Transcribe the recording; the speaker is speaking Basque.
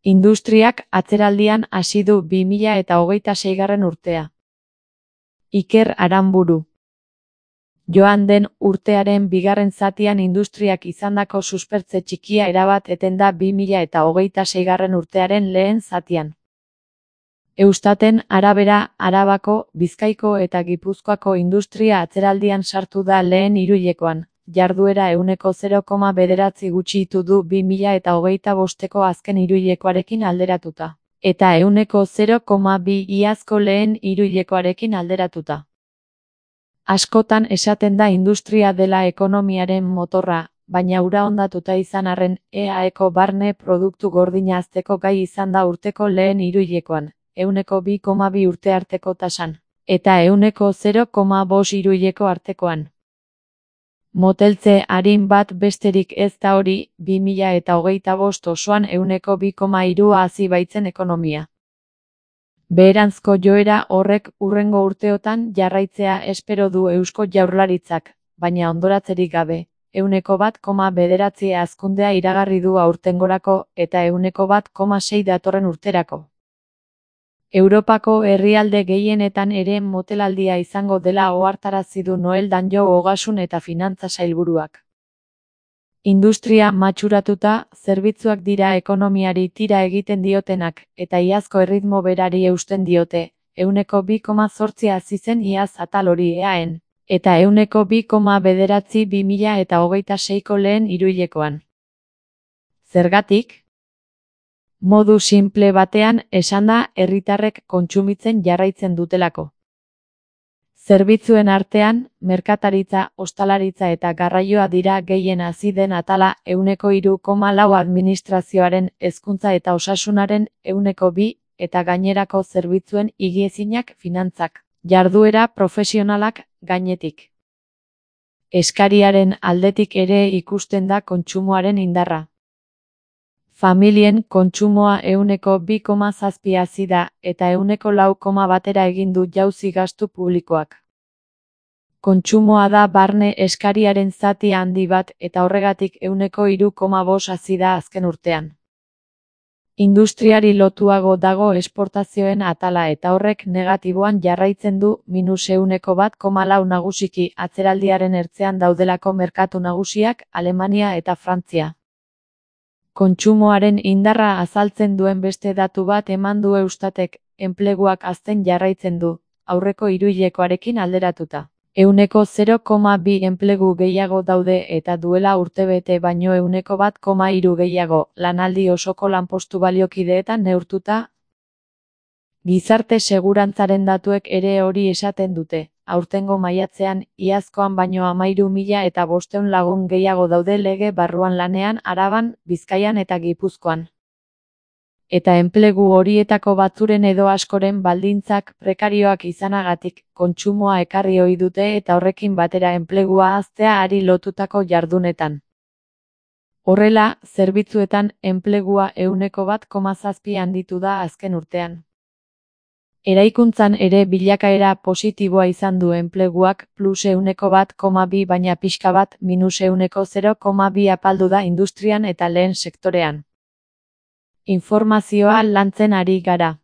Industriak atzeraldian hasi du 2026. urtea. Iker Aranburu. Joan den urtearen bigarren zatian industriak izandako suspertze txikia erabat eten da 2026. urtearen lehen zatian. Eustaten arabera, Arabako, Bizkaiko eta Gipuzkoako industria atzeraldian sartu da lehen hiruhilekoan, jarduera 0,9 gutxitu du 2025ko azken hiruhilekoarekin alderatuta, eta 0,2 iazko lehen hiruhilekoarekin alderatuta. Askotan esaten da industria dela ekonomiaren motorra, baina hura hondatuta izan arren, EAEko barne produktu gordina hazteko gai izan da urteko lehen hiruhilekoan, 2,2 urte arteko tasan, eta 0,5 hiruhileko artekoan. Moteltze arin bat besterik ez da hori, 2025 osoan 2,3 hazi baitzen ekonomia. Beheranzko joera horrek hurrengo urteotan jarraitzea espero du Eusko Jaurlaritzak, baina ondoratzerik gabe, 1,9 hazkundea iragarri du aurtengorako eta 1,6 datorren urterako. Europako herrialde gehienetan ere motelaldia izango dela ohartarazi du Noel Danjou Ogasun eta Finantza Sailburuak. Industria matxuratuta, zerbitzuak dira ekonomiari tira egiten diotenak, eta iazko erritmo berari eusten diote, 2,8 hazi zen iaz atal hori EAEn, eta 2,9 2026ko lehen hiruhilekoan. Zergatik? Modu sinple batean esanda herritarrek kontsumitzen jarraitzen dutelako. Zerbitzuen artean, merkataritza, ostalaritza eta garraioa dira gehien hazi den atala 3,4 administrazioaren, hezkuntza eta osasunaren 2,2 eta gainerako zerbitzuen higiezinak finantzak, jarduera profesionalak gainetik. Eskariaren aldetik ere ikusten da kontsumoaren indarra. Familien kontsumoa 2,7 hazi da, eta 4,1 egin du jauzi gastu publikoak. Kontsumoa da barne eskariaren zati handi bat eta horregatik 3,5 hazi da azken urtean. Industriari lotuago dago esportazioen atala eta horrek negatiboan jarraitzen du -1,4 nagusiki atzeraldiaren ertzean daudelako merkatu nagusiak Alemania eta Frantzia. Kontsumoaren indarra azaltzen duen beste datu bat eman du Eustatek, enpleguak hazten jarraitzen du, aurreko hiruhilekoarekin alderatuta. 0,2 enplegu gehiago daude eta duela urtebete baino 1,3 gehiago, lanaldi osoko lanpostu baliokideetan neurtuta. Gizarte segurantzaren datuek ere hori esaten dute. Aurtengo maiatzean, iazkoan baino 13.500 lagun gehiago daude lege barruan lanean Araban, Bizkaian eta Gipuzkoan. Eta enplegu horietako batzuren edo askoren baldintzak prekarioak izanagatik, kontsumoa ekarri ohi dute eta horrekin batera enplegua haztea ari lotutako jardunetan. Horrela, zerbitzuetan enplegua 1,7 handitu da azken urtean. Eraikuntzan ere bilakaera positiboa izan du enpleguak +1,2 baina pixka bat -0,2 apaldu da industrian eta lehen sektorean. Informazioa lantzen ari gara.